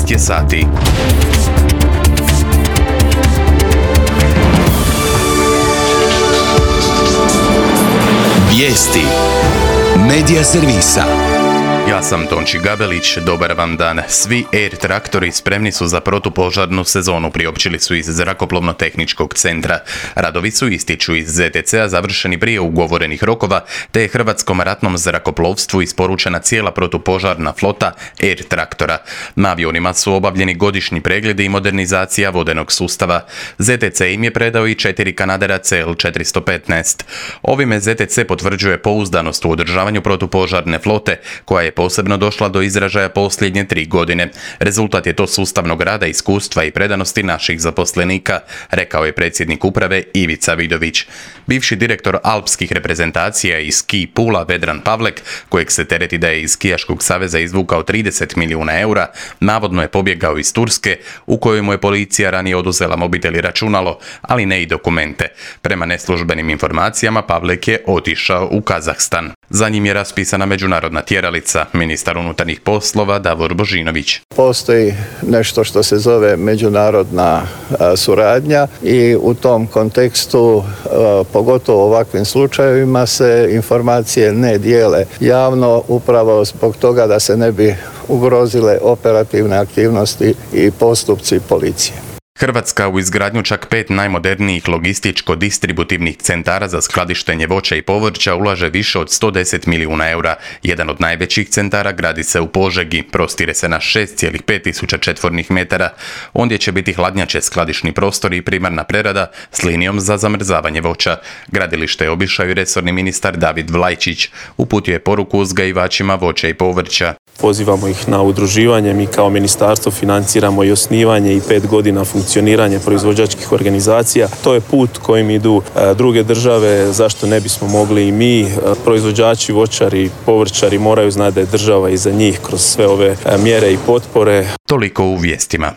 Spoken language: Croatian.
12 je sati. Vijesti Medija servisa. Ja sam Tonči Gabelić, dobar vam dan. Svi Air traktori spremni su za protupožarnu sezonu, priopćili su iz Zrakoplovno-tehničkog centra. Radovi su, ističu iz ZTC-a, završeni prije ugovorenih rokova, te je Hrvatskom ratnom zrakoplovstvu isporučena cijela protupožarna flota Air traktora. Na avionima su obavljeni godišnji pregledi i modernizacija vodenog sustava. ZTC im je predao i 4 Canadaira CL415. Ovime ZTC potvrđuje pouzdanost u održavanju protupožarne flote, koja je posebno došla do izražaja posljednje 3 godine. Rezultat je to sustavnog rada, iskustva i predanosti naših zaposlenika, rekao je predsjednik uprave Ivica Vidović. Bivši direktor alpskih reprezentacija iz Ski Pula Vedran Pavlek, kojeg se tereti da je iz Skijaškog saveza izvukao 30 milijuna eura, navodno je pobjegao iz Turske, u kojoj mu je policija ranije oduzela mobitel i računalo, ali ne i dokumente. Prema neslužbenim informacijama, Pavlek je otišao u Kazahstan. Za njim je raspisana međunarodna tjeralica, ministar unutarnjih poslova Davor Božinović. Postoji nešto što se zove međunarodna suradnja i u tom kontekstu, pogotovo u ovakvim slučajevima, se informacije ne dijele javno, upravo zbog toga da se ne bi ugrozile operativne aktivnosti i postupci policije. Hrvatska u izgradnju čak 5 najmodernijih logističko-distributivnih centara za skladištenje voća i povrća ulaže više od 110 milijuna eura. Jedan od najvećih centara gradi se u Požegi, prostire se na 6,5 tisuća četvornih metara. Ondje će biti hladnjače, skladišni prostori i primarna prerada s linijom za zamrzavanje voća. Gradilište je obišao i resorni ministar David Vlajčić. Uputio je poruku uzgajivačima voća i povrća. Pozivamo ih na udruživanje, mi kao ministarstvo financiramo i osnivanje i 5 godina funkcioniranje proizvođačkih organizacija. To je put kojim idu druge države, zašto ne bismo mogli i mi. Proizvođači, voćari, povrćari moraju znati da je država iza njih kroz sve ove mjere i potpore. Toliko u vijestima.